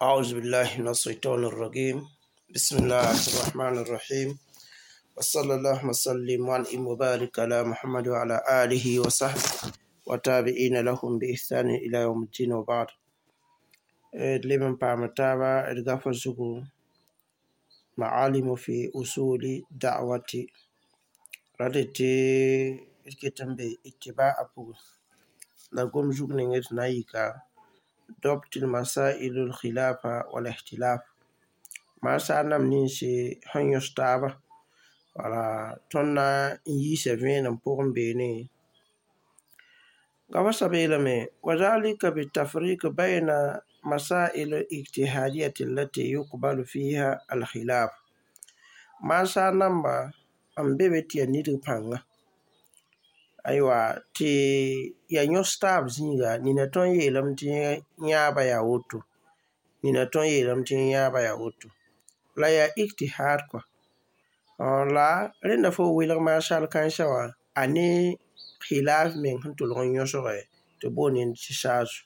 أعوذ بالله من الشيطان الرجيم. بسم الله الرحمن الرحيم، وصلى الله وسلم وأنعم وبارك على محمد وعلى آله وصحبه وتابعين لهم بإحسان إلى يوم الدين، وبعد. D leb n paam taaba d gafa zugu معالم في أصول الدعوة ra tɩ d ket n be اتباع pʋgẽ la gom zug ning d na n yika ضبط المسائل الخلافة والاختلاف maasar nam ninsi sẽn yõs taaba wala tõnd na n yiisa vẽenem pʋgẽ beene gafa soab yeelame وذلك بالتفريق بين مسائل الاجتهادية التي يقبل فيها الخلاف maasar namba n be be tɩ yaa nidg pãnga aywa tɩ yaa yõs taab zĩiga nina tõnd yeelame tɩ yãaba yaa woto nina tõnd yeelame tɩ yãaba yaa woto la yaa ijtihad kɔa la rẽnda fo welg maasal kãensã wã a ne khilaf meng sẽn tʋlg n yõsge tɩ boond tɩ saazu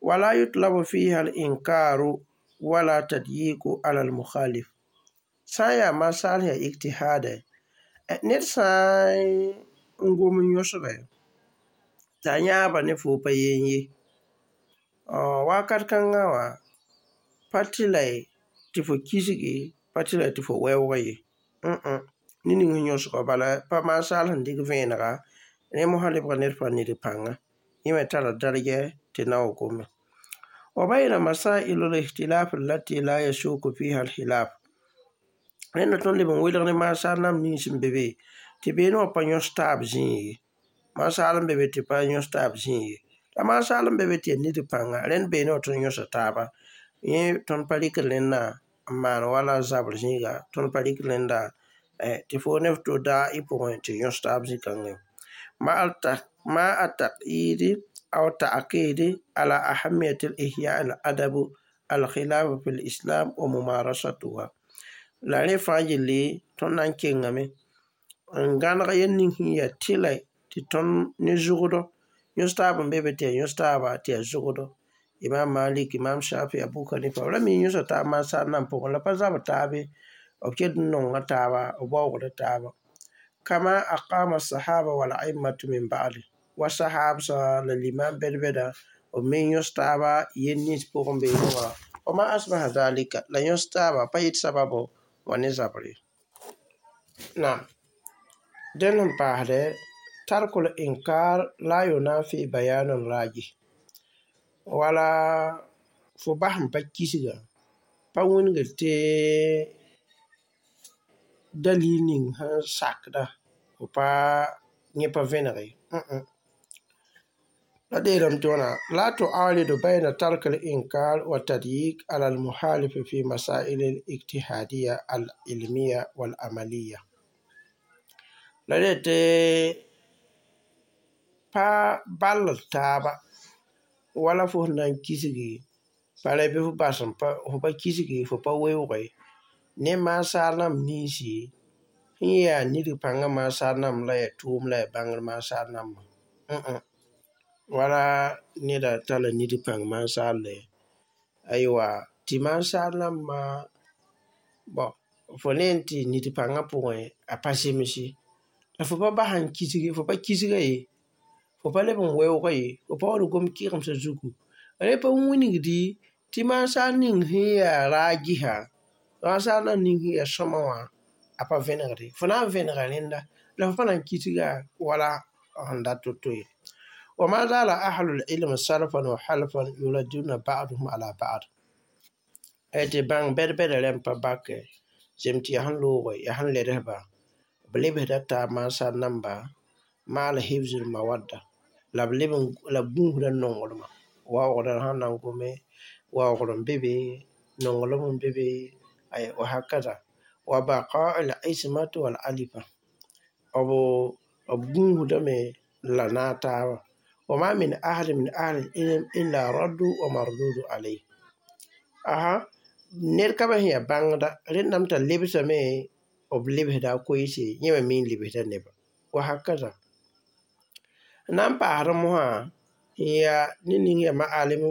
ولا يطلب فيها الإنكار ولا تضييق على المخالف sã n yaa masaal sẽn yaa ijtihada ned sã n gom n yõsge t'a yãaba ne fo pa yen ye wakat kãngã wã pa tɩ la tɩ fo kisgi pa tɩ la tɩ fo wɛoog ye ne ning sẽn yõsgã bala pa masaal sẽn dɩk vẽenega rẽ mosã lebga ned pa nidg pãnga yẽ me tara dargɛ tɩ na wa gome وبين مسائل الاختلاف التي لا يسوغ فيها الخلاف rẽnda tõnd leb n welg ne masaal nam nins n be be tɩ beene wã pa yõs taab zĩig ye masaal n be be tɩ pa yõs taab zĩig ye la masaal n be be tɩ yaa nidg pãnga rẽnd beene wã tõnd yõsa taaba yẽ tõnd pa rɩkd rẽndã n maan wala zabr zĩiga tõnd pa rɩkd rẽnda tɩ fo ne f to daa y pʋgẽ tɩ yõs taab zĩ-kãngã مع التأكيد أو التأكيد على أهمية الإحياء الأدب الخلاف في الإسلام وممارستها la rẽ fãa yelle tõnd na n kengame n gãneg yel ning sẽn yaa tɩlɛ tɩ tõnd ne zʋgdɔ yõs taab n be be tɩ yaa yõs taaba tɩ yaa zʋgdɔ Imam Malik, Imam Shafi, Abu Hanifa b ra mi yõsa taab mansar nan pʋgẽ la pa zabr taabe b ket n nonga taaba b waoogda taaba كما أقام الصحابة والأئمة من بعد wa sahabsã la limam bɛd-bɛda b me yõs taaba yel nins pʋgẽ beene wã وما أشبه ذلك la yõs taaba pa yet sababo wã ne zabre naam dẽnd sẽn paasdɛ ترك الإنكار لا ينافي بيان الراجح wala fo bas n pa kisga pa wĩnigd tɩ dalil ning sẽn sakda fo pa yẽ pa vẽneg ye la deelame tɩ wãna لا تعارض بين ترك الإنكار والتضييق على المخالف في مسائل الاجتهادية العلمية والعملية la dee tɩ pa ball taaba wala fo sẽn na n kisgi pa ra bɩ fo bas n pa fo pa kisgi fo pa weooge ne masaar nãmb ninsi sẽn yaa nidg pãngã masaar nãmb la yaa tʋʋm la yaa bãngr masaar nãmbã wala neda tara nidg pãng masaarle aywa tɩ masaar nãmbã bɔn fo ne n tɩ nidg pãngã pʋgẽ a pa zemse la fo pa bas n kisgi fo pa kisga ye fo pa leb n weooga ye fo pa wa gom kɩgemsã zugu rẽ pa wĩnigdi tɩ masaar ning sẽn yaa raagisa masaar nam ning sẽn yaa sõma wã a pa vẽnegde fo na n vẽnega rẽnda la fo pa na n kisga wala sẽn dat to-to ye وما زال أهل العلم سلفا وخلفا يردون بعضهم على بعض tɩ bãng bɛd-bɛda rãmb pa bakɛ zem tɩ yaa sẽn looge yaa sẽn ledsba b lebsda taab mansar namba مع حفظ المودة la b leb la b gũusda nonglmã waoogdã sãn na n gome waoogr n be be nonglem n be be وهكذا وبقاء العصمة والألفة b b gũusdame la naag taaba وما من أحد من أهل العلم إلا رد ومردود عليه aha ned ka ba sẽn yaa bãngda rẽndame t'a lebsame b lebsda a koeese yẽ me me n lebsda neba وهكذا n na n paasd mosã n yaa ne ning yaa ma'alim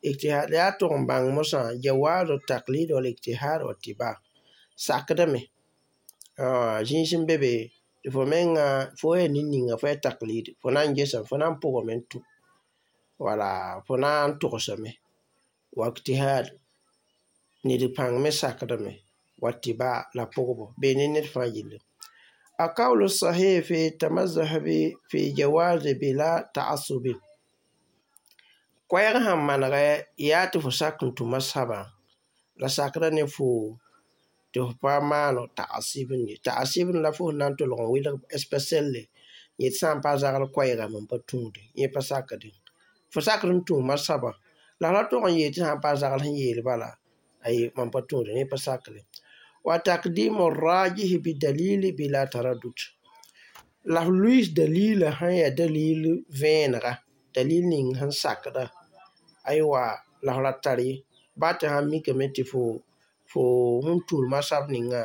Ijtihad yaa tʋg n bãng mosã jawazu taklid wal ijtihad wa tiba sakdame zĩis n be be tɩ fo menga fo yaa nin-ninga fo yaa taklid fo na n gesame fo na n pʋgame n tũ wala fo na n togsame wa ijtihad ned pãng me sakdame wa tiba la pʋgbo bee ne ned fãa yelle القول الصحيح في التمذهب في جواز بلا تعصب koɛɛg sẽn manegɛ yaa tɩ fo sak n tũ masabã la sakda ne fo tɩ f pa maan ta'asibn ye ta'asibn la fo sẽn na n tolg n welg spɛsɛlle yet sã n pa zagl koɛɛga mam pa tũude yẽ pa sakdẽ fo sakd n tũ masabã la f ra tog n yeel tɩ sã n pa zagl sẽn yeel bala ay mam pa tũude yẽ pa sakre wa taqdimu rajih bidalili bila taraddud la f luis dalila sẽn yaa dalil vẽenega dalil ning sẽn sakda aywa la f ra tar ye baa tɩ sãn mikame tɩ fo fo sẽn tul masab ninga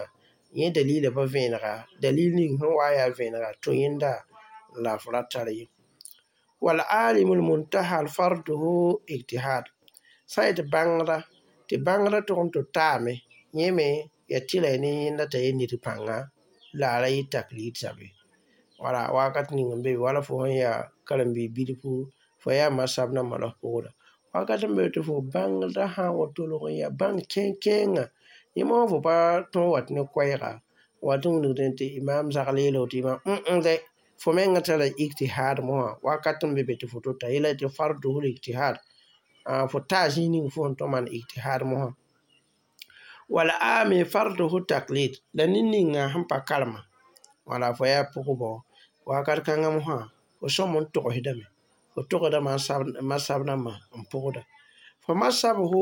yẽ dalila pa vẽenega dalil ning sẽn wa yaa vẽenega tũ yẽnda la f ra tar ye والعالم المنتهى فرضه اجتهاد sã n yet bãngda tɩ bãngda tʋg n tɩ taame yẽ me yaa tɩla ne yẽnda t'a ye ned pãnga la a ra yɩ taklid sabe wala wakat ning n be be wala fo sẽn yaa karen-biig bilfu fo yaa masab nambã la f pʋgda wakat n be tɩ fo bãngda sã n wa tolg n yaa bãng kẽen-kẽengã yẽ moosã fo pa tõog wat ne koɛɛga wat n wilgdẽ tɩ imam zagl yeela woto imam dɛ fo menga tara ijtihad mosã wakat n be be tɩ fo tota yela tɩ farduhu ijtihad fo taa zĩig ning fo sẽn tõm maan ijtihad mosã wala ami farduhu taklid la nin-ninga sẽn pa karema wala fo yaa pʋgbɔ wakat kãngã mosã fo sõm n togsdame fo togsda masab nambã n pʋgda fo masabhu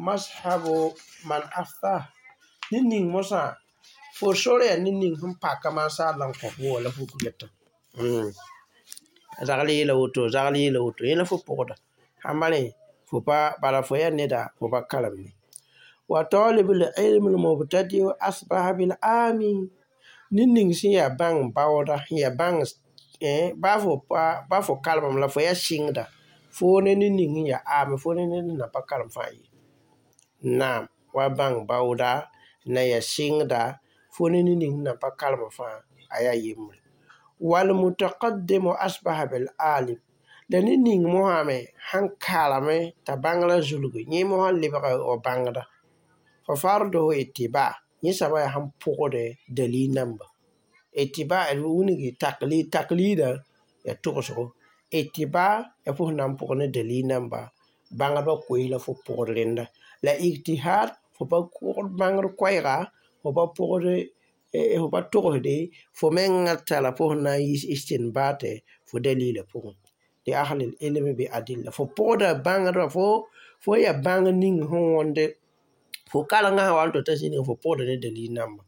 mashabu man afta nin-ning mosã fo sor yaa nin-ning sẽn paka maansaar la n kõ fo la fo geta zagl yeela woto zagl yeela woto yẽ la fo pʋgda sãn ma rẽ fo pa bala fo yaa neda fo pa karem ye wa talib al-ilm al-mubtadi asbaha bil ami nin-ning sẽn yaa bãng baooda sẽn yaa bãng baa fo karemame la fo yaa sɩngda foo ne nin-ning sẽn yaa aame fo ne ned sẽn na pa karem fãa ye naam wa bãng baooda na yaa sɩngda fo ne nin-ning sẽn na pa karem fãa a yaa yembre wal mutaqaddimu asbaha bil alim la nin-ning mosã me sãn karame t'a bãngrã zulgi yẽ mosã lebga wa bãngda fa farduhu ittiba yẽ soaba yaa sẽn pʋgde dalil namba ittiba d wilgi taklid taklida yaa togsgo ittiba yaa fo sẽn na n pʋg ne dalil namba bãngdbã koees la fo pʋgd rẽnda la ijtihad fo pa pʋgd bãngd koɛɛga fo pa pʋgd fo pa togsde fo menga tara fo sẽn na n yiis istinbaate fo dalila pʋgẽ li ahli ilmi bi adilla fo pʋgda bãngdbã fo yaa bãng ning sẽn wõnde fo karengã sã wa n tota zĩnigã fo pʋgda ne dalil namba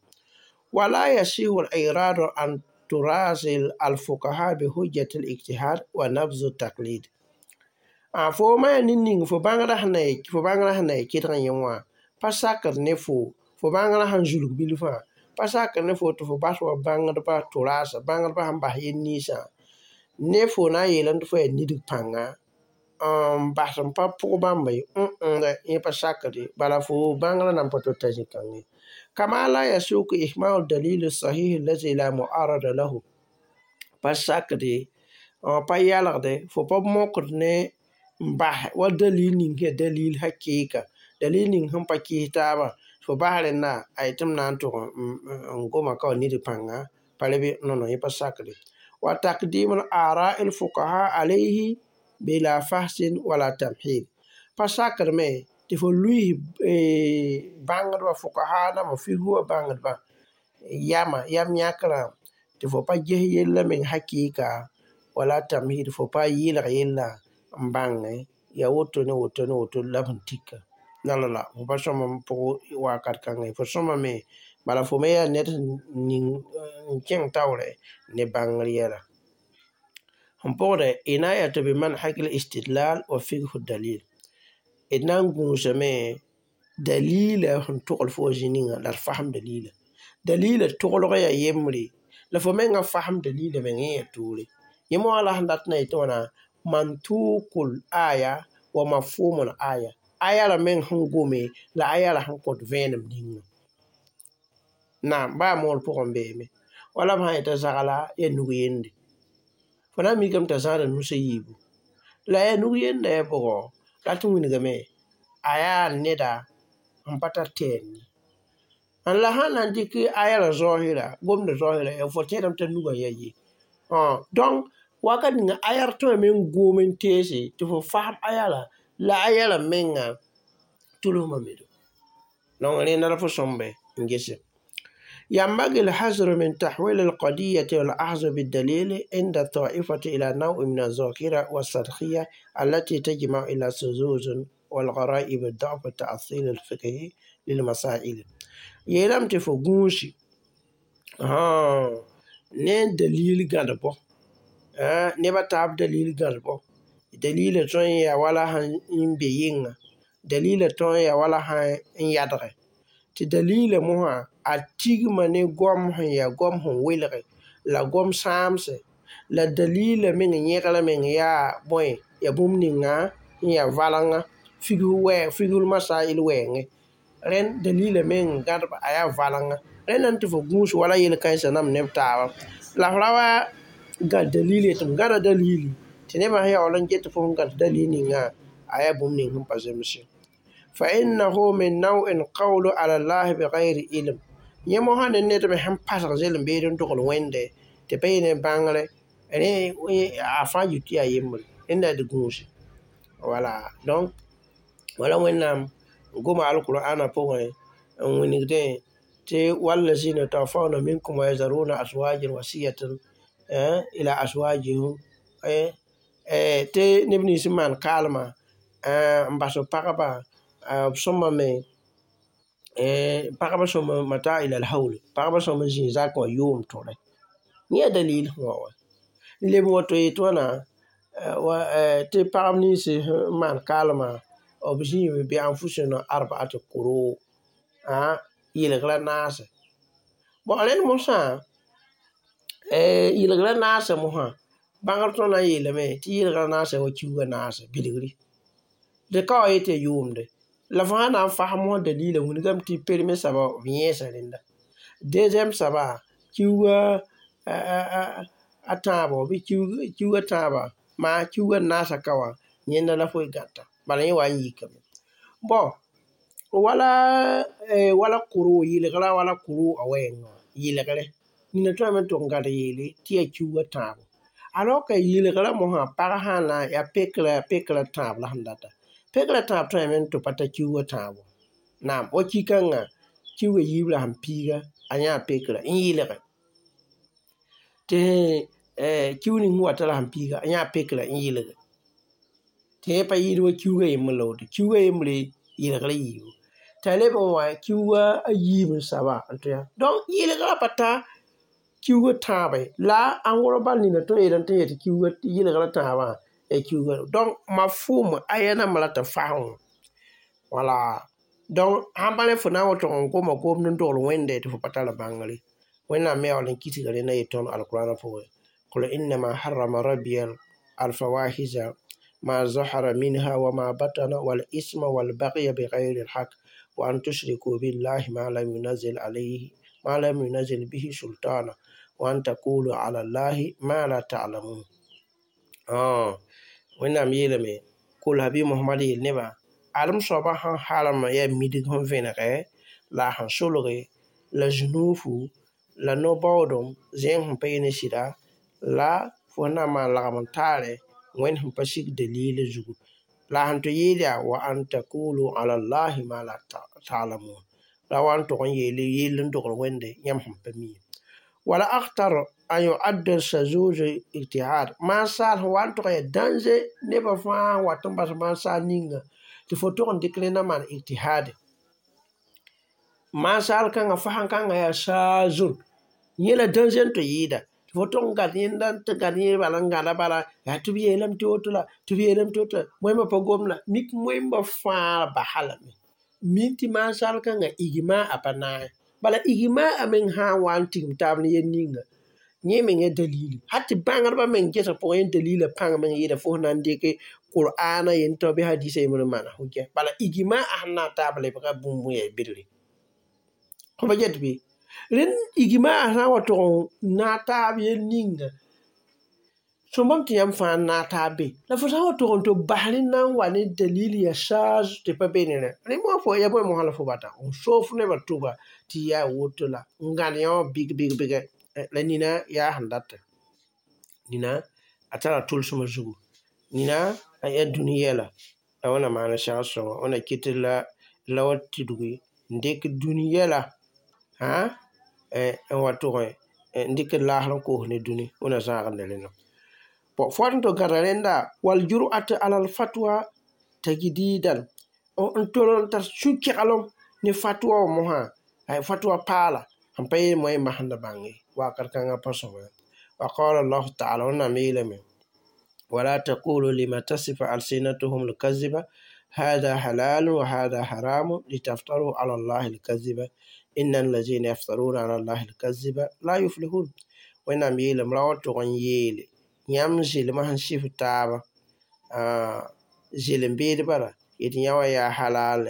wala yasihu al-iradu an turasil al-fuqaha bi hujjati al-ijtihad wa nabzu taklid fo ma yaa nin-ning fo bãngrã fo bãngrã sẽn na yaa kɩdg yẽ wã pa sakd ne fo fo bãngrã sẽn zulg bilfã pa sakd ne fo tɩ fo bas wa bãngdbã tʋraasa bãngdbã sẽn bas yel-ninsã ne fo na n yeelame tɩ fo yaa nidg pãnga n bas n pa pʋg bãmba ye yẽ pa sakd ye bala fo bãngrã nan pa tota zĩ-kãng ye kama la yasuku ihmalu dalil sahih allazi la mu'arada lahu pa sakd ye pa yalgde fo pa mokd ne n bas wa dalil ning yaa dalil hakɩɩka dalil ning sẽn pa kɩɩs taabã fo bas rẽnda a yetɩ m na n tʋg n goma ka wa nidg pãnga pa rebe nono yẽ pa sakde wa taqdim al-ara'i al-fuqaha alayhi bila fahsin wala tamhid pa sakd me tɩ fo luis bãngdbã fuqaha nambã figu wã bãngdbã yama yam yãkrã tɩ fo pa ges yella meng hakɩɩka wala tamhid fo pa yɩlg yella n bãnge yaa woto ne woto ne woto la b sẽn tika la la la fo pa sõm n pʋg wakat kãngã ye fo sõmame bala fo me yaa ned ning n kẽng taoorɛ ne bãngr yɛla sẽn pʋgdɛ inayatu bi manhaj al-istidlal wa fiqhu dalil d na n gũusame dalila sẽn togl fo wã zĩ-ningã la d fasem dalila dalila toglg yaa yembre la fo menga fasem dalila meng yẽ yaa toore yẽ moasã la sẽn dat na yetɩ wãna mantuqul aya Wa mafhumul aya. Aya la meng sẽn gome la aya la sẽn kõt vẽenem ninga. Naam, baa moor pʋgẽ beeme. Wala b sã n yetã zagla yaa nug yende. Fo na n mikame t'a zãada nus a yiibu. La yaa nug yenda yaa bʋgo, rat n wilgame, a yaa neda sẽn pa tar tɛɛm ye. La sã n na n dɩk aya la zaohira, gomdã zaohira, fo tẽedame t'a nugã yaa ye. Donc wakat ninga aya tõeme n gom n teese tɩ fo fasem aya la aya la menga tʋlsmã me do. Donc rẽnda la fo sõmbe n gese. ينبغي الحذر من تحويل القضية والأخذ بالدليل عند الطائفة إلى نوع من الظاهرة والسطحية التي تجمع إلى الشذوذ والغرائب الضعف التأصيل الفقهي للمسائل. Yeelame tɩ fo gũusi ne dalil gãdbo, neb a taab dalil gãdbo. Dalilã tõe n yaa wala sẽn be yɩnga, dalilã tõe n yaa wala sẽn yadge. Tɩ dalilã mosã a tigma ne goam sẽn yaa goam sẽn welge la goam sãamse la dalilã meng yẽgrã meng yaa bõe yaa bũmb ninga sẽn yaa valenga figsg wɛɛng figsg masail wɛɛngẽ. Rẽnd dalilã meng gãdba a yaa valenga. Rẽnda tɩ fo gũus wala yel-kãensã nam neb taaba. La f ra wa gãd dalil yetɩ m gãda dalili tɩ nebã sẽn yaool n get tɩ fo sẽn gãd dalil ningã a yaa bũmb ning sẽn pa zems ye. فإنه من نوع القول على الله بغير علم. Yẽ mosã ne ned me sẽn pasg zelem-beed n dogl wẽnde tɩ pa yɩ ne bãngre rẽ a fãa yit tɩ yaa yembre rẽnda d gũusi. Wala donc wala Wẽnnaam goma alqur'ana pʋgẽ n wilgdẽ tɩ wallazina yatawaffawna minkum wa yazaruna azwajan wasiyatan ila azwajihim tɩ neb nins n maan kaalmã n bas b pagba b sõmbame pagba sõmb mata ila alhawl pagba sõmb n zĩig zakẽ wã yʋʋm tõre. Yẽ yaa dalil sẽn wa wa. N leb n wato yetɩ wãna tɩ pagb nins n maan kaalmã b zĩime bɩ anfusina arba'at quru yɩlgrã naase. Bon rẽnd mosã yɩlgrã naasã mosã bãngr tõnd na n yeelame tɩ yɩlgrã naasã wa kiuugã naase bilgri. Dɩ ka wa yetɩ yaa yʋʋmde. La fo sã na n fasem mosã dalila wilgame tɩ premier soaba b yẽesa rẽnda. Deuxième soaba kiuugã a tãabo bɩ kiuugã tãaba maa kiuugã naasã ka wã yẽnda la fo gãta. Bala yẽ wa n yikame. Bon wala wala kʋrʋ yɩlgrã wala kʋrʋ a wɛɛngã wã yɩlgre nina tõeme n tʋg n gãd yeele tɩ yaa kiuugã tãabo. Alors que yɩlgrã mosã pag sã na yaa pekrã tãab la sẽn data. Pekrã tãab tõeme n tɩ pa ta kiuugã tãabo. Naam wa ki-kãngã kiuugã yiib la sẽn piiga a yãa pekrã n yɩlge. Tɩ kiug ning sẽn wata la sẽn piiga a yãa pekrã n yɩlge. Tɩ yẽ pa yɩɩd wa kiuugã yembr la woto. Kiuugã yembre yɩlgrã yiibu. T'a leb n wa kiuugã a yiib n saba n tɩ yaa. Donc yɩlgrã pa ta kiuugã tãabe la ãngr bal nina tõe n yeelame tɩ yetɩ kiuugã yɩlgrã tãabã yaa kiuugã. Donc mafhum aya namba la tɩ fasem wã. Wala donc sãn pa rẽ fo na n wa tʋg n goma gomd n dogl wẽnde tɩ fo pa tar bãngre. Wẽnnaam me yaool n kisga rẽnda yet tõnd alqur'ana pʋgẽ. قل إنما حرم ربي الفواحش ما ظهر منها وما بطن والإثم والبغي بغير الحق وأن تشركوا بالله ما لم ينزل عليه ما لم ينزل به سلطانا وأن تقولوا على الله ما لا تعلمون. Wẽnnaam yeelame kul habi Mohamad yeel nebã adem soabã sẽn halem yaa midg sẽn vẽnege la a sẽn solge la zũnuufu la no-baoodem zẽeng sẽn pa yɩ ne sɩda la fo sẽn na n maan lagem n taare Wẽnd sẽn pa sig dalil zugu. La sẽn tɩ yeel yaa wa an taqulu ala llahi ma la ta'lamun. La wa n tʋg n yeele yell n dogl Wẽnde yãmb sẽn pa mi. Wala akhtar an yu'adda shuzuz ijtihad. Maan saal sẽn wa n tʋg yaa danger nebã fãa n wat n bas maan saal ninga tɩ fo tʋg n dɩk rẽnda maan ijtihad. Maan saal kãngã fasem kãngã yaa saazun. Yẽ la danger n tɩ yɩɩda. Tɩ fo tʋg n gãd yẽnda n tɩ gãd yẽ bala n gãda bala yaa tɩ b yeelame tɩ woto la tɩ b yeelame tɩ woto la moẽmbã pa gom la mik moẽmbã fãa basa lame. Mi tɩ maan saal kãngã igma a pa naag. Bala igma a meng sã n wa n tigim taab ne yel ninga yẽ mengã dalili. Hal tɩ bãngdbã meng gesg pʋgẽ yẽ dalila pãng meng yɩɩda fo sẽn na n dɩke Qur'ana yentɔ bɩ hadisa yembr n maana hujja. Bala ijma sẽn na n taab lebga bũmb n yaa bilgre. Fo pa get bɩ? Rẽnd ijma sã n wa tog n naag taab yel ninga sõmbam tɩ yãmb fãa n naag taab be. La fo sã n wa tog n tɩ bas rẽnd na n wa ne dalil yaa saaz tɩ pa be ne rẽ. Rẽ moasã fo ya bõe mosã la fo bata n soog nebã tʋba tɩ yaa woto la n gãd yã wã bɩg bɩg bɩgɛ. La nina yaa sẽn data. Nina a tara tʋlsmã zugu. Nina a yaa dũni yɛla. La wẽnnaam maan segd sõngo. Wẽnna kɩt la la wa tudgi n dɩk dũni yɛla n wa tʋgẽ n dɩk laasr n koos ne dũni. Wẽnna zãag ne rẽndã. Bon, fo wat n tɩ gãda rẽnda wal-jur'at ala al-fatwa tajdidan n tol n tar sũ-keglem ne fatwa wã mosã fatwa paala sẽn pa yeel moa yembã sẽn da bãng ye wakat kãngã pa sõma. Wa qala Allahu taala wẽnnaam yeelame ولا تقولوا لما تصف ألسنتهم الكذب هذا حلال وهذا حرام لتفتروا على الله الكذب إن الذين يفترون على الله الكذب لا يفلحون. Wẽnnaam yeelame ra wa tʋg n yeele yãmb zɩlmã sẽn sɩf taaba zɩlem beed bala yetɩ yã wã yaa halal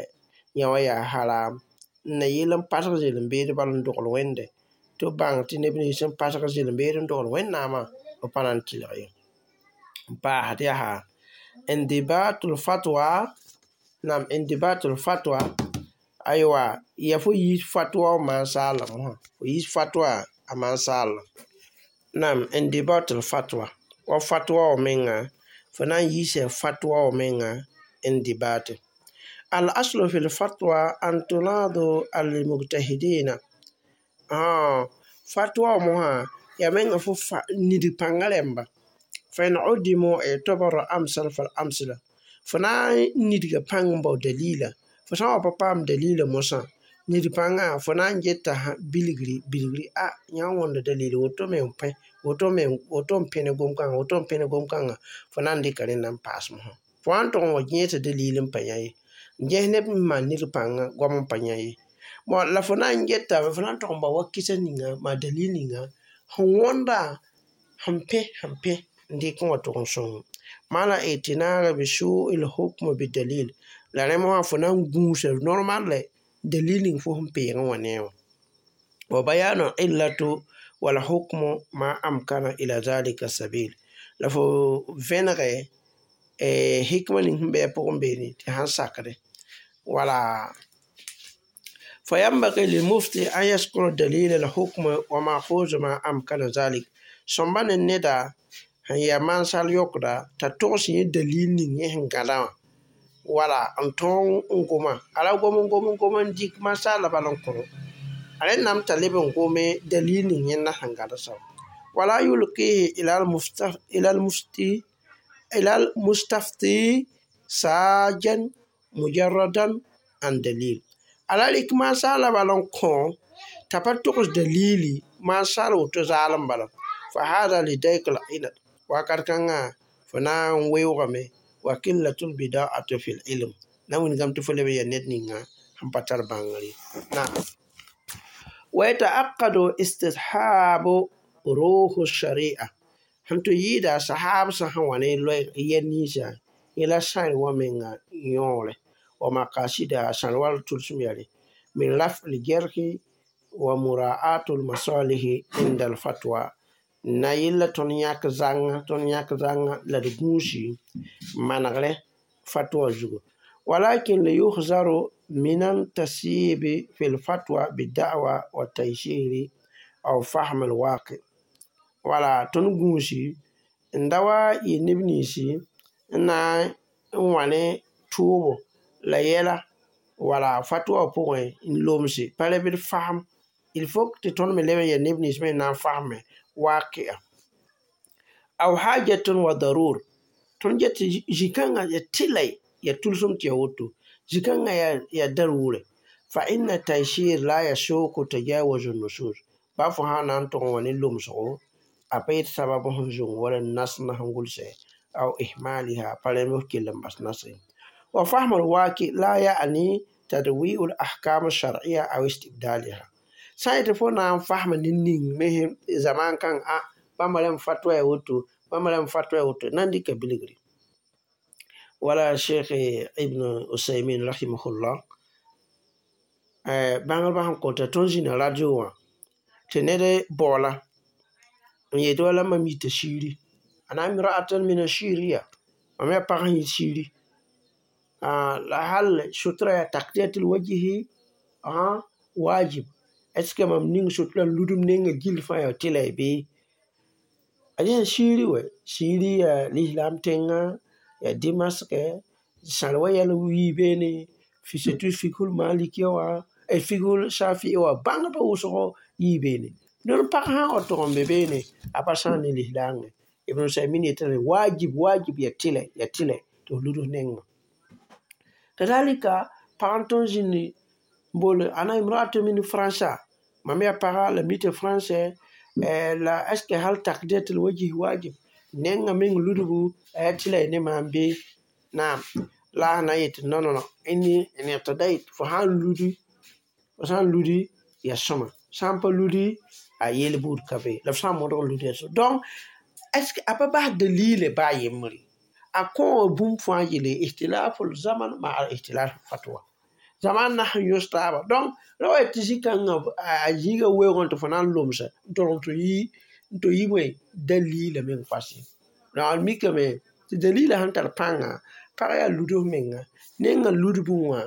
yã wã yaa haram n na yɩl n pasg zɩlem beed bal n dogl wẽnde tɩ b bãng tɩ neb nins sẽn pasg zɩlem beed n dogl wẽnnaamã b pa na n tɩlg ye. N paasd yaa indibatul fatwa nam indibatul fatwa aywa ya fo yiis fatwa wã maan-saala mosã fo yiis fatwa a maan-saala nam indibatul fatwa wa fatwa wã menga fo na n yiisa fatwa wã menga indibate. Al-aslu fi l-fatwa an tunadu al-mujtahidina. Fatwa wã mosã yaa menga fo nidg pãngã rẽmba. Fa in udimu i'tabara amsal fal amsala. Fo na n nidga pãng n bao dalila. Fo sã n wa pa paam dalila mosã nid pãngã fo na n geta bilgri bilgri a yã wõnda dalila woto me n pẽ woto me woto n pẽ ne gom-kãngã woto n pẽ ne gom-kãngã fo na n dɩka rẽnda n paas mosã. Fo wã n tʋg n wa gẽesa dalil n pa yã ye. N ges neb n maan nid pãngã goam n pa yã ye. Bon la fo na n geta fo na n tʋg n bao wa kɩsa ninga maa dalil ninga sẽn wõnda sẽn pẽ sẽn pẽ n dɩk n wa tʋg n sõng. Maana i'tinaara bi su'il hukm bidalil. La rẽ mosã fo na n gũusa normal lɛ dalil ning fo sẽn peegẽ wã ne wã. Wa bayanu illatu wal hukmu ma amkana ila zalika sabil. La fo vẽnege hikma ning sẽn be a pʋgẽ beene tɩ sãn sakde. Wala فينبغي للمفتي أن يذكر دليل الحكم ومأخوذ ما أمكن ذلك. Sõmba ne neda sẽn yaa maan-sal yõkda t'a togs yẽ dalil ning yẽ sẽn gãdã wã wala n tõog n goma a ra gom n gom n gom n dɩk masaala bal n kõ a rẽndame t'a leb n gome dalil ning yẽnda sẽn gãd soab. Wala yulqihi ila al-mustafti sajan mujarradan an dalil. A ra rɩk masaala bal n kõ t'a pa togs dalili masaal woto zaalem bala. Fa hada lidayk al-inad wakat kãngã fo na n weoogame wa qillatul bida'ati fil ilm na wilgame tɩ fo leb n yaa ned ninga sẽn pa tar bãngr ye. Naam. Wa yata'aqqadu istishaabu ruhu sharia. Sẽn tɩ yɩɩda sahaab sã sẽn wa ne yɛl ninsã yẽ la sãr wã menga yõore wa maqasida sãr wa tʋlsem yaa min raf'il jarhi wa mura'atul masalihi inda al-fatwa. Na yella tõnd yãk zãnga tõnd yãk zãnga la d gũusi manegrẽ fatwa zugu. Walakin liyuhzaru min at-tasyib fi al-fatwa bid-da'wa wa taysiri aw fahm al-waqi. Wala tõnd gũusi n da wa yɩ neb ninsi n na n wã ne tʋʋbo la yɛla wala fatwa pʋgẽ n lomse pa rẽ bɩ d fasem. Il faut tɩ tõnd me leb n yaa neb nins me n na n fasme waqi'a. Aw hajatun wa darur. Tõnd get tɩ zĩ-kãngã ya tɩlɛ ya tʋlsem tɩ ya woto. Zĩ-kãngã ya darure. Fa inna taysir la yasuqu tajawuz an-nusus. Ba fo sã na n tʋg n wa ne lomsgo a pa yet sabab sẽn zũng wala nas na sẽn gʋlsɛ aw ihmaliha pa rẽmb f kell n bas nasẽ. Wa fahm al-waqi la ya'ni tadwi'u al-ahkam ash-shar'iyya aw istibdaliha. Sã n yetɩ fo na n fasm ne ning me zaman kãng a bãmba rãmb fatwa ya woto bãmba rãmb fatwa ya woto na n dɩka bilgre. Wala Sheikh Ibn Usaymin rahimahullah bãngrba sẽn kõta tõnd zĩna radio wã tɩ ned baoola n yet wala mam yita Siiri ana imra'atan min Syria mam yaa pag sẽn yit Siiri la hal sutra yaa takdiyatul wajhi wajib est ce que mam ning sutra n ludum nengã gill fãa yaa tɩlɛ bɩ a yaa Siiri wɛ Siiri yaa lislam tẽnga yaa Dimask sãr wa yɛl yii beene surtout fikhul malikiya wã fikhul shafi'i wã bãngdbã wʋsgo yii beene ned pag sã n wa tʋg n be beene a pa sãag ne lislaang ye Ibn Usaymin yetame wajib wajib yaa tɩlɛ yaa tɩlɛ tɩ f luds nengã kadalika pag n tõnd zĩndi n boole ana imraatu min Faransa mam yaa paga la mi tɩ français la est ce que hal takdiyatul wajhi wajib nengã meng ludbu a yaa tɩlɛ ne maam bɩ naam la a na yetɩ non non non inni in iqtadait fo sãn ludi fo sãn ludi yaa sõma sã n pa ludi a yel buud ka be la f sã n modg n ludi yaa sõma donc est ce que a pa bas dalile baa yembre a kõ bũmb fãa yele ihtilaful zaman ma al ihtilaf fatwa zaman na sẽn yõs taaba donc ra wa tɩ zĩ-kãngã a zĩiga weoogẽ tɩ fo na n lomsa n tolg n tɩ yi bõe dalila meng fas ye la d mikame tɩ dalila sẽn tar pãnga pag yaa lud f menga nengã ludbẽ wã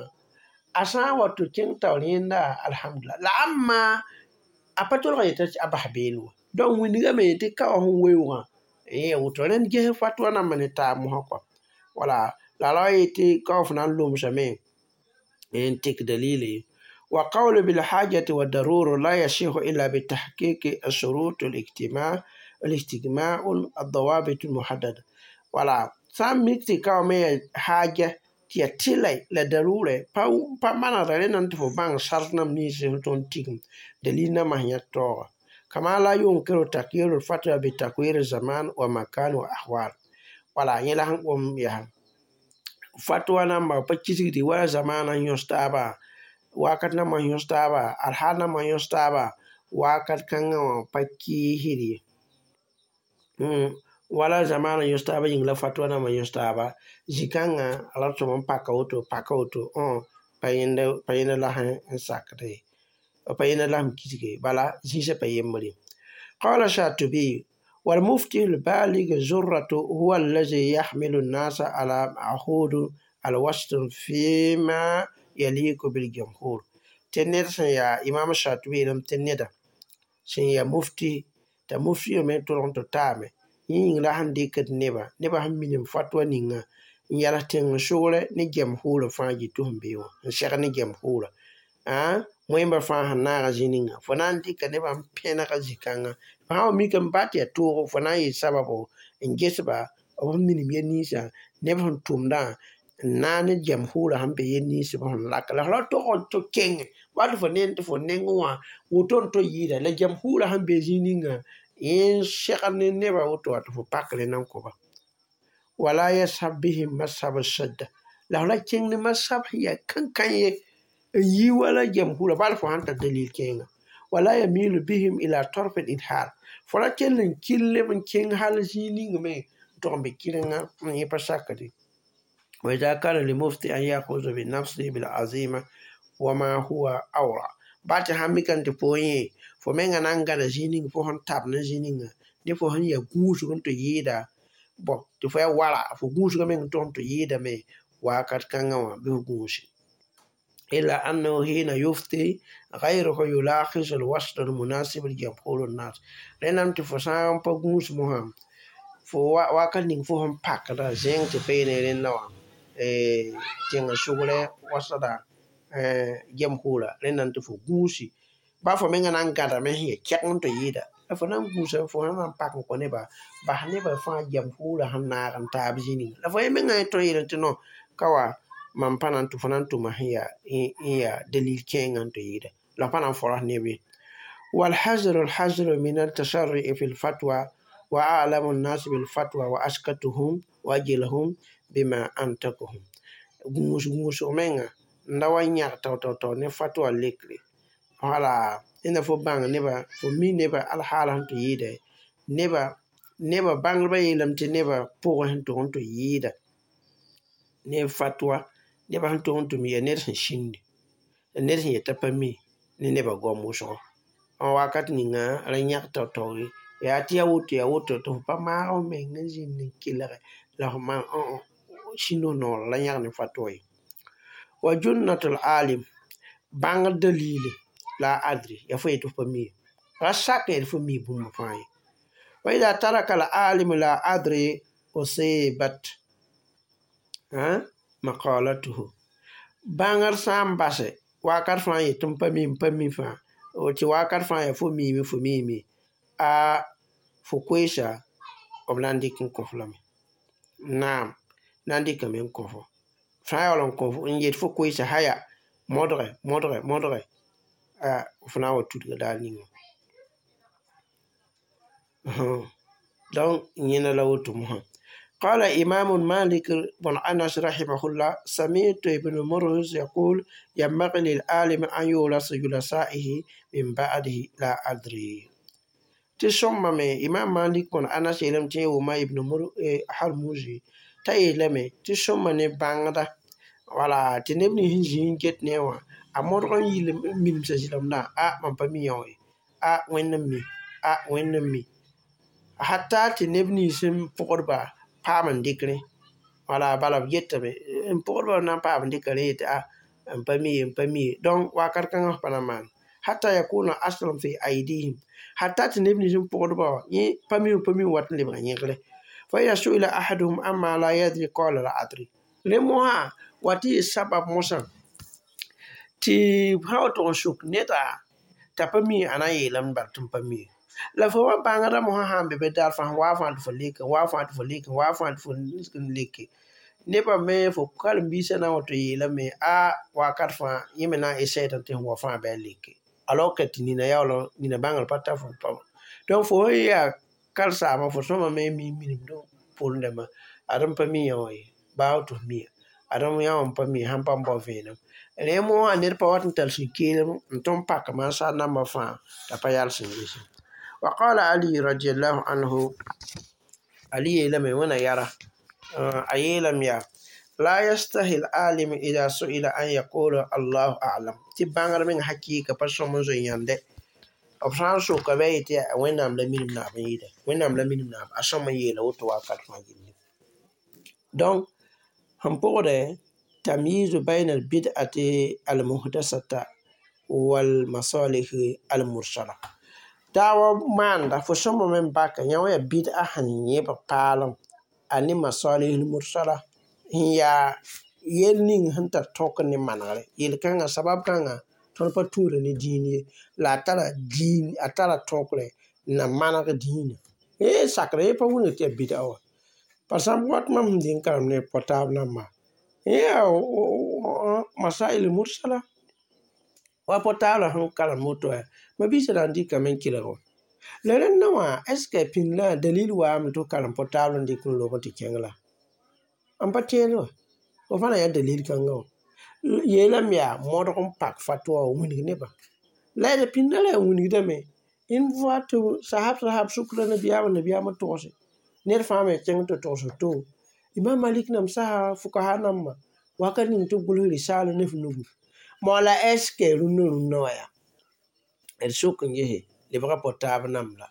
a sã n wa tɩ kẽng taoor yẽnda alhamdulillah la ãmma a pa tolg n yeta tɩ a bas beel wa donc wĩndgame tɩ ka wã sẽn weoogã yẽ woto rẽnd ges fatwa nambã ne taab mosã kɔa wala la ra wa yetɩ ka wa fo na n lomsame n tɩk dalile وقول بالحاجة والضرورة لا يصح إلا بتحقيق الشروط الاجتماع الاجتماع الضوابط المحددة wala sã n mik tɩ ka wã me yaa haaja tɩ yaa tɩlɛ la darurɛ pa manegda rẽnd n tɩ fo bãng sart nam nins sẽn tõnd tigim dalil nambã sẽn yãk taooga kama la yunkiru takyiru lfatwa bitakwir zaman wa makan wa ahwal wala yẽ la sẽn gom yaa fatwa namba pa kisgdi wala zamana n yõs taaba wakat nambã n yõs taaba alhaal nambã n yõs taaba wakat kãngã wã pa kiisd ye wala zamana yõs taaba yĩng la fatwa nambã yõs taaba zĩ-kãngã a ra tʋm n paka woto paka woto pa yẽnda la sẽn sakd ye pa yẽnda la sẽn kisge bala zĩisã pa yembre قال الشاطبي والمفتي البالغ الزرة هو الذي يحمل الناس على معهود الوسط فيما يليق بالجمهور tɩ ned sẽn yaa imam Shatibi yeelame tɩ neda sẽn yaa mufti t'a mufti me tʋlg n tɩ taame yẽ yĩng la sẽn dɩkd nebã nebã sẽn minim fatwa ninga n yals tẽng sogrɛ ne jamhuurã fãa yɩ tɩ sẽn be wã n seg ne jamhuurã wẽmba fãa sẽn naaga zĩ ninga fo na n dɩka nebã n pẽnega zĩ-kãngã fo sã n wa mikame ba tɩ yaa toogo fo na n yɩ sababo n ges-ba b sẽn minim yel ninsã neb sẽn tʋmdã n naag ne jamhuurã sẽn be yel nins b sẽn laka la f ra tog n tɩ kenge wa tɩ fo nend tɩ fo neng wã woto n tɩ yɩɩda la jamhuurã sẽn be zĩ ninga yẽ segd ne nebã woto wa tɩ fo pak rẽnd n kõ-ba wala yashab bihim mashab shadda la f ra kẽng ne mashab sẽn yaa kãn-kãn ye n yi wala jamhuurã bal fo sãn tar dalil kẽenga wala yamilu bihim ila tarf al idhar fo ra kell n kɩl leb n kẽng hal zĩig ning me n tog n be kɩrenga n yẽ pa sakde وإذا كان للمفتي أن يأخذ بنفسه بالعزيمة وما هو أورع ba tɩ sãn mika tɩ fo yẽ fo menga na n gãda zĩig ning fo sẽn tab ne zĩig ninga ne fo sẽn yaa gũusg n tɩ yɩɩda bõ tɩ fo yaa wara fo gũusgã meng n tog n tɩ yɩɩdame wakat kãngã wã bɩ f gũusi إلا أنه حين يفتي غيره يلاحظ الوسط المناسب لجمهور الناس rẽndame tɩ fo sã n pa gũus mosã fo wakat ning fo sẽn pakda zẽng tɩ pa yene rẽnda wã tẽng sogrɛ wasda jamhuurã rẽnda tɩ fo gũusi ba fo menga na n gãdame sẽn yaa kɛg n tɩ yɩɩda la fo na n gũusa fo sã na n pak n kõ nebã bas nebã fãa jamhuurã sẽn naag n taab zĩ ninga la fo yẽ menga tõe n yeelame tɩ non ka wa mam pa na n tɩ fo na n tʋma sẽn yaa n yaa dalil kẽengã n tɩ yɩɩda la pa na n fõras neb ye والحذر الحذر من التسرع في الفتوى وأعلم الناس بالفتوى وأسكتهم وأجلهم بما أنطقهم gũus gũusg menga n da wa yãg tao-tao-tao ne fatwa lekre wala rẽnda fo bãng nebã fo mi nebã alhaala sẽn tɩ yɩɩda neba neba bãngdbã yeelame tɩ nebã pʋgẽ sẽn tʋg n tɩ yɩɩda Ne fatwa nebã sẽn tog n tɩ me yaa ned sẽn sĩndi la ned sẽn yetã pa mi ne nebã goam wʋsgo n wakat ninga ra yãg tao-tao ye yaa tɩ yaa woto yaa woto tɩ fo pa maag f meng n zĩnd n kelge la f maan sĩnd f noor la yãg ne fatwa ye. Wa junnatul alim bãngr dalili la adri yaa fo yetɩ f pa mi ye. Ra sak yetɩ fo mi bũmb fãa ye. Wa ida taraka al alim la adri usibat maqalatuhu bãngr sã n base wakat fãa yetɩ m pa mi m pa mi fãa tɩ wakat fãa yaa fo miime fo miime a fo koeesa b na n dɩk n kõ-f lame. Naam, na n dɩkame n kõ-fo. Sã n yaool n kõ n yet fo koeesa haya modge modge modge f na n wa tudga daar ninga. Donc yẽnda la woto mosã. قال إمام مالك بن أنس رحمه الله سمعت ابن مرهز يقول ينبغي للعالم أن يورث جلسائه من بعده لا أدري tɩ sõmbame imam malik bõn anas yeelame tɩ yẽ wʋma ibn harmuzi t'a yeelame tɩ sõmba ne bãngda wala tɩ neb nins sẽn zĩ n get ne wã a modg n yɩl minemsã zɩlemdã a mam pa mi yã wã ye a wẽnd n mi a wẽnd n mi hatta tɩ neb nins sẽn pʋgdba paam n dɩk rẽ wala bala b getame n pʋgdba na n paam n dɩka rẽ yetɩ a n pa mi ye n pa mi ye donc wakat kãngã f pa na maan hatta yakuna aslan fi aydihim hatta tɩ neb nins n pʋgdba wã yẽ pa mi pa mi wat n lebga yẽgre fa ida suila ahaduhum amma la yadri qala la adri rẽ mosã wa tɩ yɩ sabab mosã tɩ sã wa tʋg n suk neda t'a pa mi a na n yeelame bal tɩ m pa mi la fo wa bãngdã mosã sã n be be daar fãa wa fãa tɩ fo leke wa fãa tɩ fo leke wa fãa tɩ fo n leke nebã me fo karen-biisã na n wa tɩ yeelame a wakat fãa yẽ me na n esɛɛdã tɩ sẽn wa fãa bɩ a leke alors que tɩ nina yaool nina bãngr pa tar fo pa donc fo sẽn yaa karen-saamã fo sõma me mi minemd poorẽ dãmbã ad m pa mi yã wã ye baa tɩ f miya ad m yã wã m pa mi sãn pa n bao vẽenem rẽ mosã ned pa wat n tar sũ-keelem n tõm n pak mansar nambã fãa t'a pa yals n ges وقال علي رضي الله عنه علي yeelame wẽna yara a yeelame yaa لا يستحي العالم إذا سئل أن يقول الله أعلم tɩ bãngr meng hakɩɩka pa sõm n zoe yãnde b sã n soka bɩ a yetɩ wẽnnaam la minim naab n yɩɩda wẽnnaam la minim naab a sõm n yeela woto wakat fãa gilli donc sẽn pʋgdɛ تمييز بين البدعة المحدثة والمصالح المرسلة daawa maanda fo sõma me n baka yã wã yaa bid'a sẽn yẽbg paalem a ne masalih mursala n yaa yel ning sẽn tar tõk ne manegre yel-kãngã sabab kãngã tõnd pa tũuda ne dĩin ye la a tara dĩin a tara tõkre n na maneg dĩinã yẽ sakre yẽ pa wilg tɩ yaa bid'a wã par exemple wat mam sẽn dɩng karem ne portable nambã yẽ yaa masail mursala wa portable sẽn karem woto yaa ma-biisã na n dɩkame n kelg wã la rẽndã wã est ce que pĩnd la dalil waame tɩ f karem portable n dɩk n lob n tɩ kẽng la n pa tẽed wã fo fãa na yã dalil kãngã wã yeelame yaa modg n pak fatwa wã wilg nebã la d pĩndã ra yaa wilgdame une fois tɩ sahab sahab sʋkra nabiyaamã nabiyaamã togse ned fãa me kẽng tɩ togs to imam malik nam sasa fukaha nambã wakat ning tɩ b gʋls risaala ne f nugu moa la est ce que rũnnã rũnnã wã yaa d sok n gese lebga portable namb la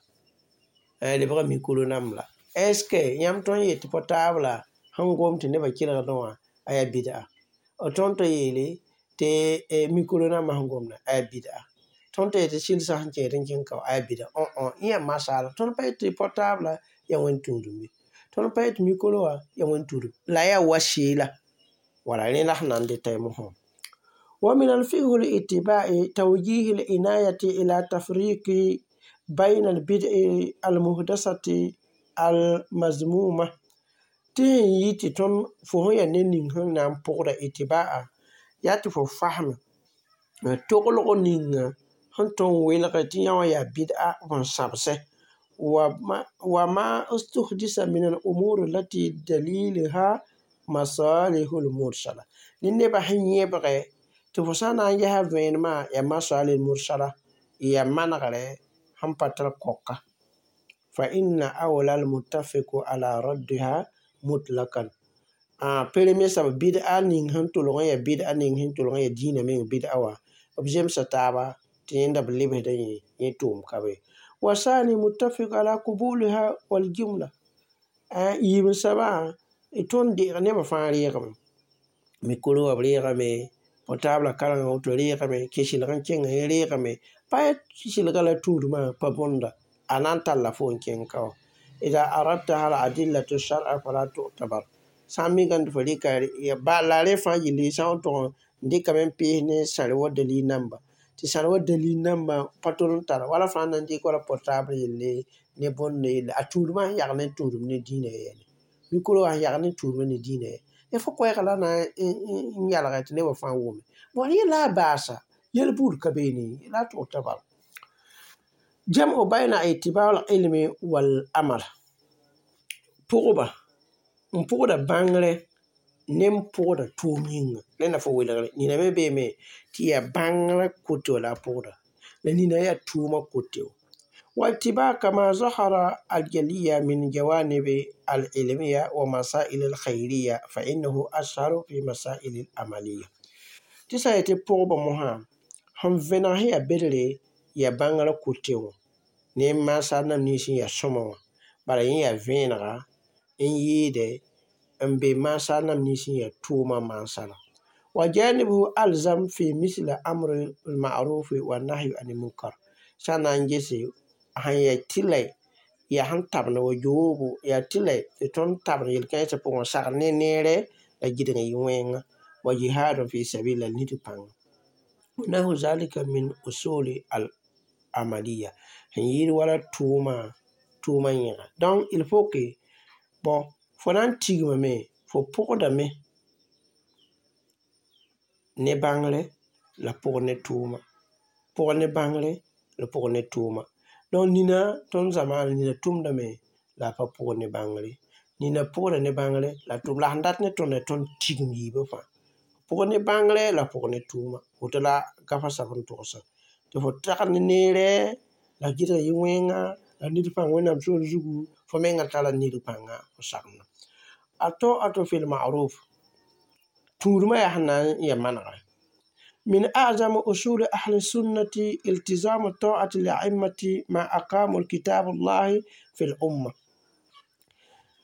lebga micro namb la est ce que yãmb tõe n yet tɩ portable la sẽn gom tɩ nebã kelgdẽ wã a yaa bid'a tõnd tɩ yeele tɩ micro nambã sẽn gomda a yaa bid'a tõnd tɩ yetɩ sɩlsã sẽn kẽed n kẽng ka a yaa bid'a yẽ yaa masala tõnd pa yet tɩ portable yaa wẽn tũudum ye tõnd pa yet micro wã yaa wẽn tũudum la yaa wasila wala rẽ la sẽn na n dɩta mosã ومن الفقه الاتباع توجيه العناية إلى تفريق بين البدع المحدثة المذمومة tɩ sẽn yɩ tɩ tõnd fo sẽn yaa ned ning sẽn na n pʋgda itiba'a yaa tɩ fo fasem toglg ninga sẽn tõnd welge tɩ yã wã yaa bid'a n sãbsɛ وما استحدث من الأمور التي دليلها مصالح المرسلة ne nebã sẽn yẽbgɛ tɩ fo sã n na n ges a vẽenemã yaa masalih mursala yaa manegre sẽn pa tar koka فإن أولى المتفق على ردها مطلقا Premier soab bid'a ning sẽn tolg n yaa bid'a ning sẽn tolg n yaa dĩinã meng bid'a wã b zemsa taaba tɩ yẽnda b lebsda yẽ yẽ tʋʋm ka be. Wasani muttafiq ala qubuliha waljumla yiib n soabã tõnd deeg nebã fãa reegame. Mikro wã b reegame, portablã karengã woto reegame, kẽ-sɩlg n kẽngã yẽ reegame. Pa yaa sɩlgã la tũudmã pa bõnda, a na n talla fo n kẽng ka wã. Ida aradta al adillatu shar'a fala tu'tabar. Sã n mikame tɩ fo rɩka la rẽ fãa yelle sã n tʋg n dɩkame n pees ne sãr wa dalil namba tɩ sãr wa dalil nambã pa tol n tara wala fãa na n dɩk wala portable yelle ne bõnd yelle a tũudmã sẽn yag ne tũudem ne dĩinã yɛɛne. Mikro wã sẽn yag ne tũudmã ne dĩinã yɛ. Ya fo koɛɛgã la na n yalge tɩ nebã fãa wʋme. Bõe yẽ la a baasa yel-buud ka beene la tu'tabar. Jam'u bayna i'tibar ilmi wal amal. Pʋgba n pʋgda bãngrẽ ne n pʋgda tʋʋm yĩnga. Rẽnda fo welgre. Nina me beeme tɩ yaa bãngrã koto la a pʋgda. La nina yaa tʋʋmã koto. واتباع كما ظهر الجلية من جوانب العلمية ومسائل الخيرية فإنه أشهر في مسائل العملية. Tɩ sã n yetɩ pʋgbã mosã sẽn vẽneg sẽn yaa bedre yaa bãngrã kote wã ne maasa nam nins sẽn yaa sõma wã bala yẽ yaa vẽenega n yɩɩde n be maasa nam nins sẽn yaa tʋʋmã mansara. وجانبه ألزم في مثل أمر المعروف والنهي عن المنكر. Sã n na n gese sẽn yaa tɩlɛ yaa sẽn tabend wa yoobo yaa tɩlɛ tɩ tõnd tabend yel-kãensã pʋgẽ sagl ne neere la gɩdg n yɩ wẽnga wa jihad fi sabil la nid pãnga. ونحو ذلك من أصول العملية sẽn yɩɩd wala tʋʋma tʋʋmã yẽga. Donc il faut que bon fo na n tigmame fo pʋgdame ne bãngre la pʋg ne tʋʋma. Pʋg ne bãngre la pʋg ne tʋʋma. Donc nina tõnd zamaana nina tʋmdame la a pa pʋg ne bãngre. Nina pʋgda ne bãngre la tʋm la sẽn dat ne tõnd tõnd tigm yiibã fãa. Pʋg ne bãngre la pʋg ne tʋʋma. Woto la gafa sab n togsã. Tɩ fo tagd ne neere la gɩdg yɩ wẽnga la ned pãng wẽnnaam sor zugu fo mengã tara ned pãnga fo sagenda. الطاعة في المعروف tũudmã yaa sẽn na n yaa manegre. من أعظم أصول أهل السنة التزام الطاعة للأئمة ما أقاموا الكتاب الله في الأمة.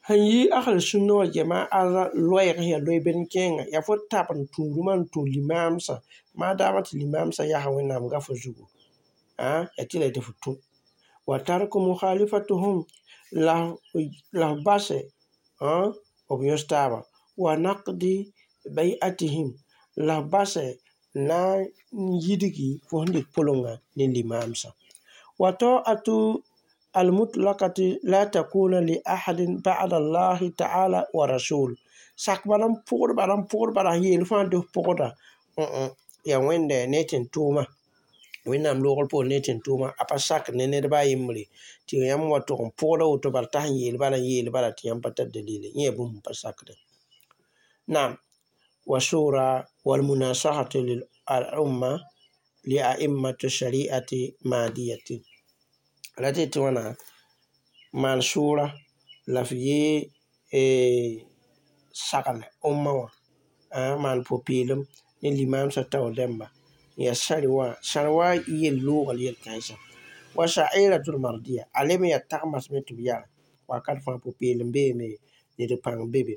Sẽn yɩ أهل السنة والجماعة loɛɛg sẽn yaa loe-bed n kẽenga yaa fo tab n tũudmã n tũ limaamsã maadaamã tɩ limaamsã yaa wẽnnaam gafo zugu yaa tɩ la tɩ fo tũ وترك مخالفتهم la f basɛ b yõs taaba ونقض بيعتهم la f basɛ na n yidgi fo sẽn dɩk pʋlenga ne limaamsã. وطاعة المطلقة لا تكون لأحد بعد الله تعالى ورسول sak bala n pʋgd bala n pʋgd bala n yeel fãa tɩ f pʋgda yaa wẽnda ne tɩ n tʋʋma wẽnnaam loogr pʋgẽ ne tɩ n tʋʋma a pa sak ne ned ba a yembre tɩ yãmb wa tʋg n pʋgda woto bala t'a sẽn yeel bala n yeel bala tɩ yãmb pa tar dalile yẽ yaa bũmb n pa sakde. نعم وشورى والمناصحة للأمة لأئمة الشريعة مادية la tɩ tɩ wãna maan sʋʋra la f yee sagle ũmma wã maan pʋ-peelem ne limaamsã taoor dãmba n yaa sãr wã sãr wã yel-loogr yel-kãensã وشعيرة المرضية a leb n yaa tagmasme tɩ b yara wakat fãa pʋ-peelem beeme ned pãng be be.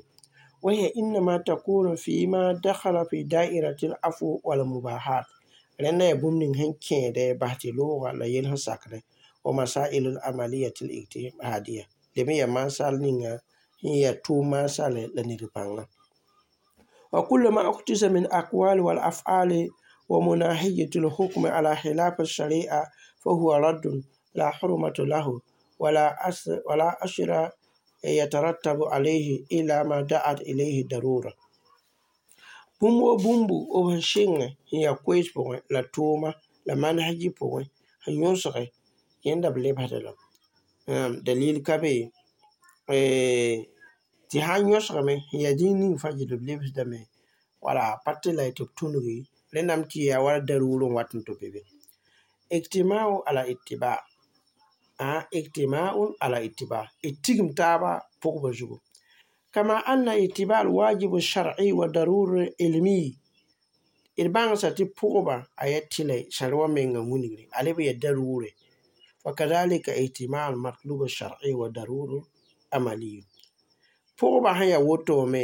وهي إنما تكون فيما دخل في دائرة العفو والمباحات rẽnda yaa bũmb ning sẽn kẽede bas tɩ looga la yel sẽn sakdẽ ومسائل العملية الاجتهادية leb n yaa mansal ninga sẽn yaa tʋʋm mansale la ned pãnga. وكل ما اقتسم من أقوال والأفعال ومناهجة الحكم على خلاف الشريعة فهو رد لا حرمة له ولا أشر يترتب عليه إلا ما دعت إليه ضرورة. Bũmb wa bũmbu b sẽn sɩngẽ sẽn yaa koees pʋgẽ la tʋʋma la manhaji pʋgẽ sẽn yõsge yẽnda b lebsda lame. Dalil ka be tɩ sã n yõsgame sẽn yaa zĩig ning fãa yel b lebsdame wala pa tɩ la tɩ b tũnugi rẽndame tɩ yaa wala daruur n wat n tɩ be be. اجتماع على اتباع اجتماع على اتباع d tigim taaba pʋgbã zugu. Kama anna ittiba alwajib alshar'i wa daruri ilmi d bãngsa tɩ pʋgba a yaa tɩlɛ sãr wã mengã wilgre a leb n yaa daruure. Fakadhalika ihtima almatlub alshar'i wa daruru amali. Pʋgba sẽn yaa woto me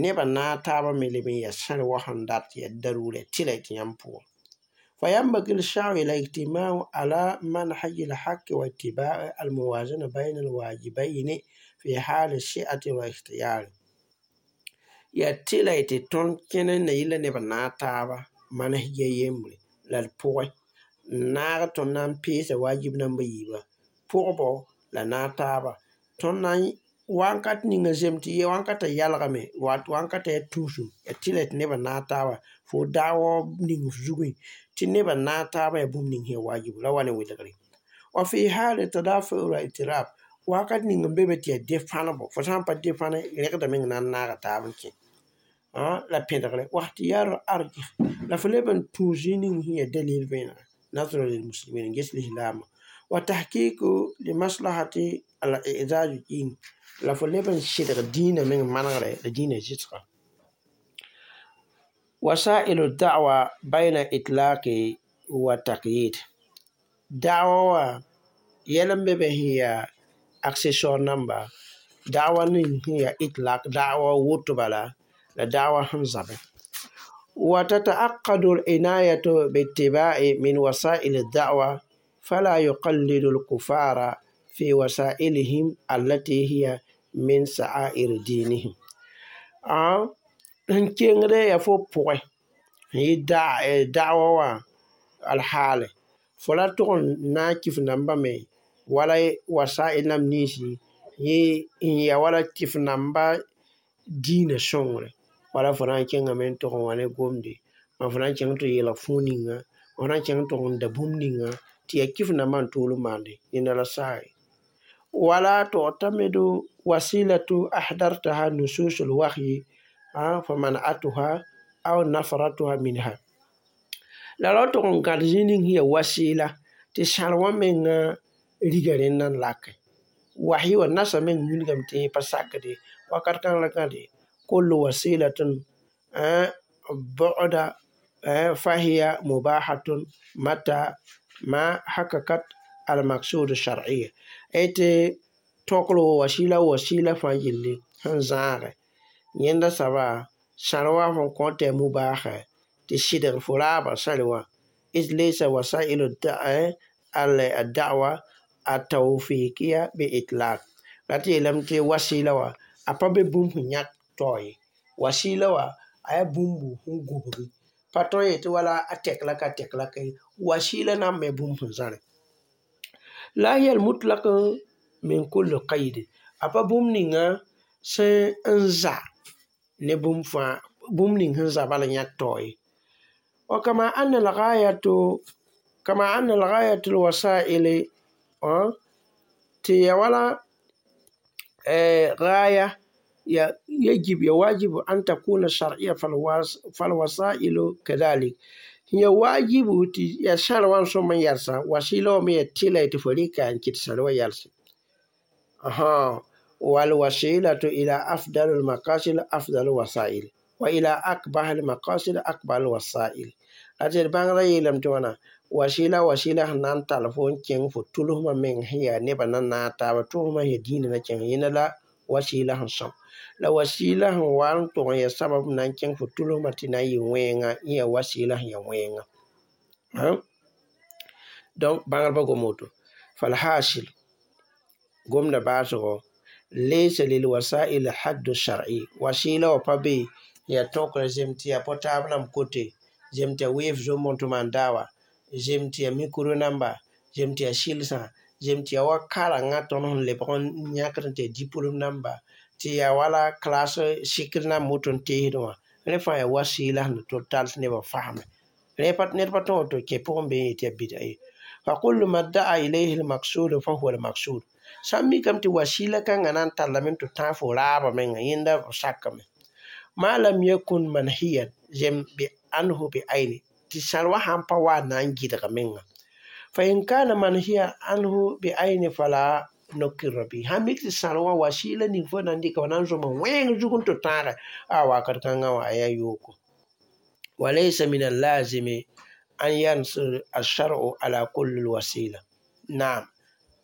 nebã naag taabã me leb n yaa sãr wã sẽn dat yaa daruure tɩlɛ tɩ yãmb pʋgã. فينبغي السعي إلى اجتماع على منهج الحق واتباع الموازنة بين الواجبين في حال السعة والاختيار. Yaa tɩlɛ tɩ tõnd kẽne na yɩla nebã naag taaba manhija yembre la d pʋgẽ n naag tõnd na n peesa wajib namba yiibã pʋgbɔ la naag taaba tõnd na n wakat ninga zem tɩ ye wakata yalgame wakata yaa tũusum yaa tɩlɛ tɩ nebã naag taaba fo daawa ning f zugẽ tɩ nebã naag taabã yaa bũmb ning sẽn yaa wajibu la wa ne welgre. Wa fi hali tadafu wa itirab wakat ning n be be tɩ yaa dẽ-fãnebo fo sã n pa dẽ-fãne rẽgda meng na n naaga taab n kẽ la pẽdgre wa ikhtiyar arjih la fo leb n tũus zĩig ning sẽn yaa dalil vẽenega nasra lilmuslimin n ges lislaamã wa tahkiku limaslahati al i'zaz din la fo leb n sɩdg dĩinã meng manegre la dĩinã zɩsga. Wasailu da'wa bayna itlaqi wa taqyid. Da'wa wã yɛl n be be sẽn yaa accessoire namba da'wa ning sẽn yaa itlaq da'wa woto bala la da'wa sẽn zabẽ. وتتعقد العناية باتباع من وسائل الدعوة فلا يقلد الكفار في وسائلهم التي هي من سعائر دينهم. Sẽn kengde yaa fo pʋgẽ n yɩ da'wa wã alhaale fo ra tʋg n na n kɩf nambã me wala wasail nam ninsi yẽ n yaa wala kɩf nambã dĩinã sõngre wala fo na n kẽngame n tʋg n wa ne gomde mam fo na n kẽng tɩ yeelg fũu ninga fo na n kẽng tʋg n da bũmb ninga tɩ yaa kɩf nambã n tool n maande yẽnda la saag ye. Wala tu'tamidu wasilatu ahdartaha nusus alwahyi faman'atuha aw nafratuha minha. La ra tʋg n gãd zĩig ning sẽn yaa wasɩɩla tɩ sãr wã menga riga rẽnda n lake. Wahyi wã nasã meng wilgame tɩ yẽ pa sakde wakat kãng la gãde kullu wasilatun bu'da fahiya mubahatun mata ma hakakat almaksud shar'iyya. Tɩ tõkr wasɩɩla wasɩɩla fãa yelle sẽn zãage yẽnda soaba sãr wã fõn kõ tɩ yaa mubaaha tɩ sɩdg fo raabã sãr wã إذ ليس وسائل الدعوة التوفيقية بإطلاق. La tɩ yeelame tɩ wasɩɩla wã a pa be bũmb sẽn yãk tao ye. Wasɩɩla wã a yaa bũmb sẽn gobgi pa tõe n yetɩ wala a tɛk la ka tɛk la ka ye. Wasɩɩla na n me bũmb sẽn zãre. La hiya al-mutlaq min kulli qayd a pa bũmb ninga sẽn n za ne bũmb fãa bũmb ning sẽn za bala yãk tao ye. وكما أن الغاية كما أن الغاية الوسائل tɩ ya wala غاية يجب يواجب أن تكون شرعية فالوسائل كذلك هي واجب يا شرع ثم يرسى وسيلة مي تلا تفريكا أن كتسر يرسى. أها والوسيلة إلى أفضل المقاصد أفضل الوسائل وإلى أقبح المقاصد أقبح الوسائل. أجل بانغرا يلم توانا wasɩɩla wasɩɩla sẽn na n tall fo n kẽng fo tʋlsmã meng sẽn yaa nebã na naag taaba tʋlsmã sẽn yaa dĩinã na kẽng yẽnda la wasɩɩla sẽn sõm la wasɩɩla sẽn wa n tʋg n yaa sabab na n kẽng fo tʋlsmã tɩ na n yɩ wẽenga yẽ yaa wasɩɩla sẽn yaa wẽenga. Donc bãngrbã gom woto falhasil gomda baasgo laysa lilwasail haddu shar'i wasɩɩla wã pa be yaa tõkr zem tɩ yaa portable nam kote zem tɩ yaa weef zomb n tʋm n daawa zem tɩ yaa mikro namba zem tɩ yaa sɩlsã zem tɩ yaa wa karengã tõnd sẽn lebg n yãkd tɩ yaa diplôme namba tɩ yaa wala classe sɩkr nam woto n teesdẽ wã rẽ fãa yaa wasɩɩla sẽn tʋ tall tɩ nebã fasme rẽ ned pa tõog tɩ kẽ pʋgẽ be n yetɩ yaa bɩda ye. Fa kullu ma daa ilayhi almaqsud fa huwa almaqsud sã n mikame tɩ wasɩɩla kãngã na n tallame tɩ tãag fo raabã menga yẽnda f sakame ma lam yakun manhiyan zem bi anhu bi ayni tɩ sãr wã sãn pa wa n na n gɩdg menga. Fa in kana manhiya anhu bi ayni fala No-kɩrmã bɩ sã mik tɩ sãr wã wasiila ning fo na n dɩka wa na n zõma wẽng zug n tɩ tãagɛ a wakat kãngã wã a yaa yooko. وليس من اللازم أن ينص الشرع على كل الوسيلة. Naam,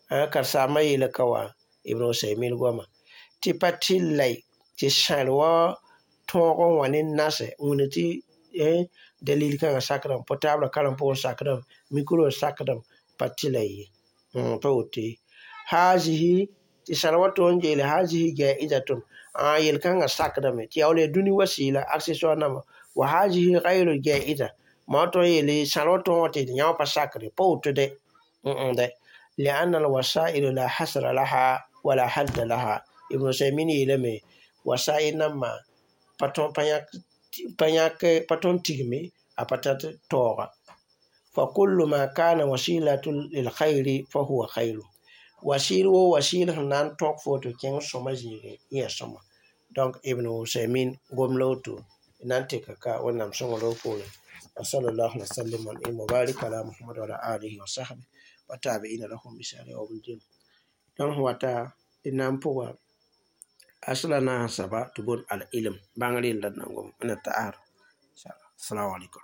karen-saambã yeela ka wã Ibn Usaymin goama tɩ pa tɩlɛ tɩ sãr wã tõog n wã ne nasɛ wĩna tɩ dalil kãngã sakdame, portable karem pʋgẽ sakdame, micro sakdame, pa tɩlɛ ye, pa woto ye. Hazihi tɩ sãr wã tõog n geele hazihi jaizatun a yel-kãngã sakdame tɩ yaa wala yaa dũni wasiila accessoire namba wa hazihi gayru jaiza ma tõe n yeele sãr wã tõog wã tɩ yã wã pa sakre pa woto dɛ dɛ لأن الوسائل لا حصر لها ولا حد لها. Ibn Usaymin yeelame wasail nambã pa tõn pa tõn tigme a pa tar taooga. فكل ما كان وسيلة للخير فهو خير. Wasiil wo wasiil sẽn na n tõk fo tɩ kẽng sõma zĩigẽ yẽ yaa sõma. Donc Ibn Usaymin gom la woto na n tɩka ka Wẽnnaam sõng roog poorẽ. وصلى الله وسلم وبارك على محمد وعلى آله وصحبه وتابعين لهم بإحسان يوم الدين. Donc wata d na n pʋga asla naas saba tɩ boond al-ilm bãngr yella d na n gom n ta'ar. Assalamu alaikum.